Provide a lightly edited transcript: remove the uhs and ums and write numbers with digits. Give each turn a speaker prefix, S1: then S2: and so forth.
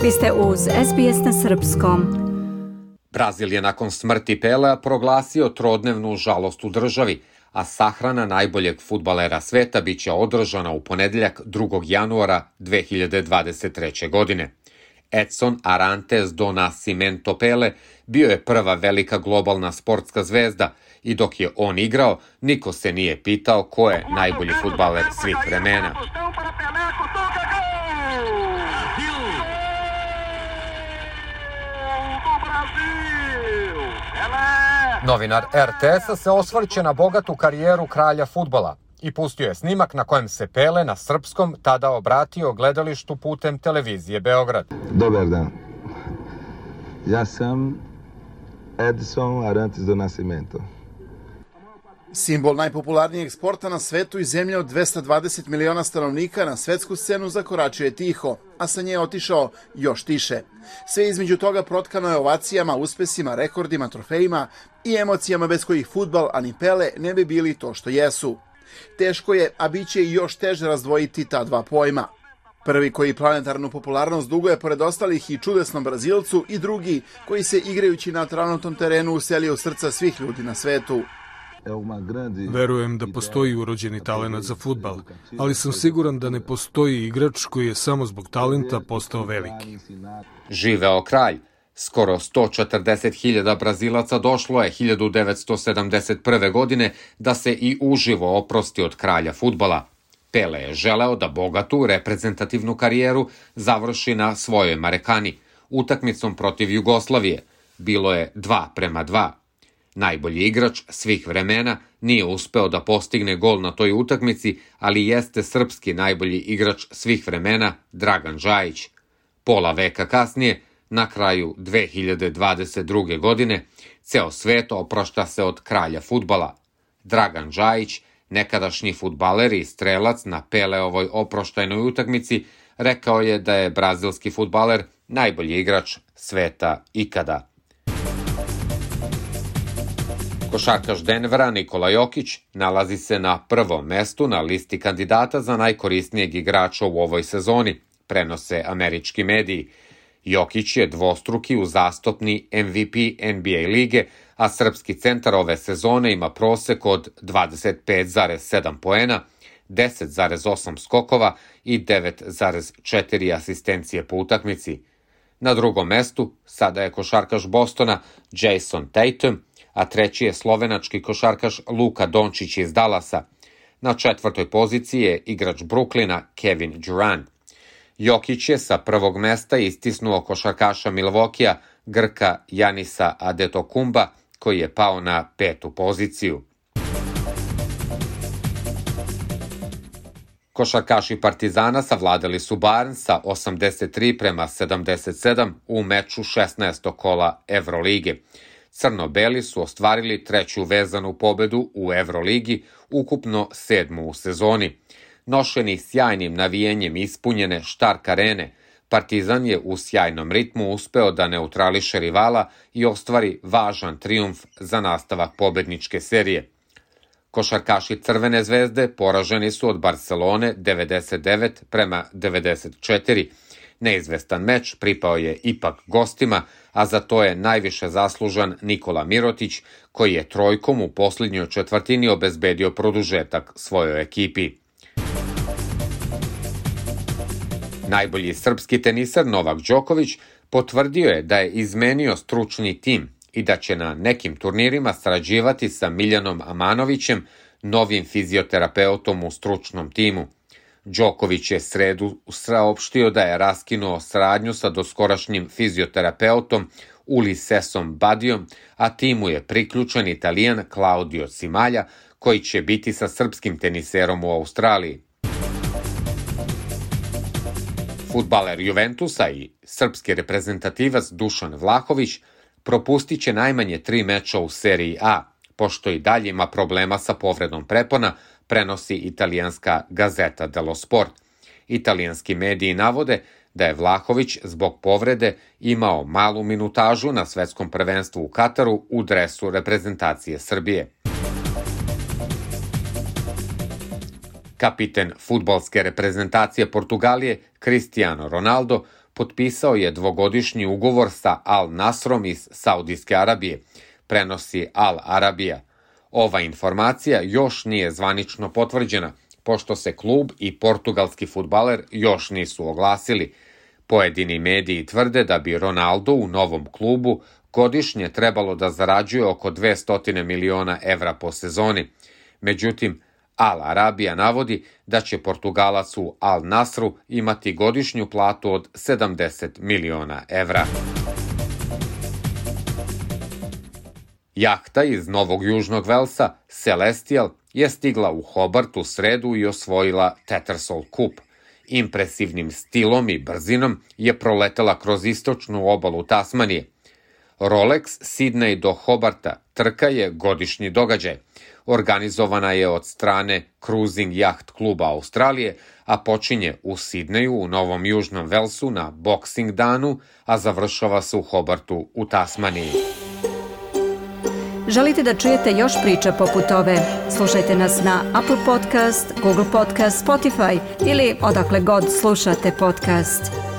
S1: Vi ste uz SBS na srpskom.
S2: Brazil je nakon smrti Pelea proglasio trodnevnu žalost u državi, a sahrana najboljeg fudbalera sveta biće održana u ponedeljak 2. januara 2023. godine. Edson Arantes do Nascimento Pele bio je prva velika globalna sportska zvezda i dok je on igrao, niko se nije pitao ko je najbolji fudbaler svih vremena. Novinar RTS-a se osvrće na bogatu karijeru kralja fudbala i pustio je snimak na kojem se Pele na srpskom tada obratio gledalištu putem televizije Beograd.
S3: Dobar dan. Ja sam Edson Arantes do Nascimento.
S4: Simbol najpopularnijeg sporta na svetu i zemlje od 220 miliona stanovnika na svetsku scenu zakoračio je tiho, a sa nje otišao još tiše. Sve između toga protkano je ovacijama, uspesima, rekordima, trofejima i emocijama bez kojih fudbal, a ni Pele ne bi bili to što jesu. Teško je, a bit će i još teže razdvojiti ta dva pojma. Prvi koji planetarnu popularnost duguje pored ostalih i čudesnom Brazilcu i drugi koji se igrajući na travnatom terenu uselio u srca svih ljudi na svetu.
S5: Verujem da postoji urođeni talenat za fudbal, ali sam siguran da ne postoji igrač koji je samo zbog talenta postao veliki.
S2: Živeo kralj. Skoro 140.000 Brazilaca došlo je 1971. godine da se i uživo oprosti od kralja fudbala. Pele je želeo da bogatu reprezentativnu karijeru završi na svojoj Marekani, utakmicom protiv Jugoslavije. Bilo je 2:2. Najbolji igrač svih vremena nije uspeo da postigne gol na toj utakmici, ali jeste srpski najbolji igrač svih vremena Dragan Džajić. Pola veka kasnije, na kraju 2022. godine, ceo svet oprašta se od kralja fudbala. Dragan Džajić, nekadašnji fudbaler i strelac na Peleovoj oproštajnoj utakmici, rekao je da je brazilski fudbaler najbolji igrač sveta ikada. Košarkaš Denvera Nikola Jokić nalazi se na prvom mestu na listi kandidata za najkorisnijeg igrača u ovoj sezoni, prenose američki mediji. Jokić je dvostruki uzastopni MVP NBA lige, a srpski centar ove sezone ima prosek od 25,7 poena, 10,8 skokova i 9,4 asistencije po utakmici. Na drugom mestu sada je košarkaš Bostona Jason Tatum, a treći je slovenački košarkaš Luka Dončić iz Dallasa. Na četvrtoj poziciji je igrač Brooklyna Kevin Durant. Jokić je sa prvog mesta istisnuo košarkaša Milwaukeea Grka Janisa Adetokumba, koji je pao na 5. poziciju. Košarkaši Partizana savladali su Barn sa 83:77 u meču 16. kola Evrolige. Crno-beli su ostvarili treću vezanu pobedu u Evroligi, ukupno 7. u sezoni. Nošeni sjajnim navijenjem ispunjene Štark arene, Partizan je u sjajnom ritmu uspeo da neutrališe rivala i ostvari važan trijumf za nastavak pobedničke serije. Košarkaši Crvene zvezde poraženi su od Barcelone 99:94. Neizvestan meč pripao je ipak gostima, a za to je najviše zaslužan Nikola Mirotić, koji je trojkom u posljednjoj četvrtini obezbedio produžetak svojoj ekipi. Najbolji srpski tenisar Novak Đoković potvrdio je da je izmenio stručni tim i da će na nekim turnirima sarađivati sa Miljanom Amanovićem, novim fizioterapeutom u stručnom timu. Đoković je sredu saopštio da je raskinuo saradnju sa doskorašnjim fizioterapeutom Ulisesom Badijom, a timu je priključen Italijan Claudio Cimalja, koji će biti sa srpskim teniserom u Australiji. Fudbaler Juventusa i srpski reprezentativac Dušan Vlahović propustit će najmanje 3 meča u seriji A, pošto i dalje ima problema sa povredom prepona, prenosi italijanska Gazeta dello Sport. Italijanski mediji navode da je Vlahović zbog povrede imao malu minutažu na svetskom prvenstvu u Kataru u dresu reprezentacije Srbije. Kapiten fudbalske reprezentacije Portugalije Cristiano Ronaldo potpisao je dvogodišnji ugovor sa Al Nasrom iz Saudijske Arabije, prenosi Al Arabija. Ova informacija još nije zvanično potvrđena, pošto se klub i portugalski fudbaler još nisu oglasili. Pojedini mediji tvrde da bi Ronaldo u novom klubu godišnje trebalo da zarađuje oko 200 miliona evra po sezoni. Međutim, Al Arabija navodi da će Portugalac u Al Nasru imati godišnju platu od 70 miliona evra. Jahta iz Novog Južnog Velsa, Celestial, je stigla u Hobart u sredu i osvojila Tattersall Cup. Impresivnim stilom i brzinom je proletela kroz istočnu obalu Tasmanije. Rolex Sydney do Hobarta trka je godišnji događaj. Organizovana je od strane Cruising Yacht kluba Australije, a počinje u Sidneju u Novom Južnom Velsu na Boxing danu, a završava se u Hobartu u Tasmaniji.
S1: Želite da čujete još priča poput ove? Slušajte nas na Apple Podcast, Google Podcast, Spotify ili odakle god slušate podcast.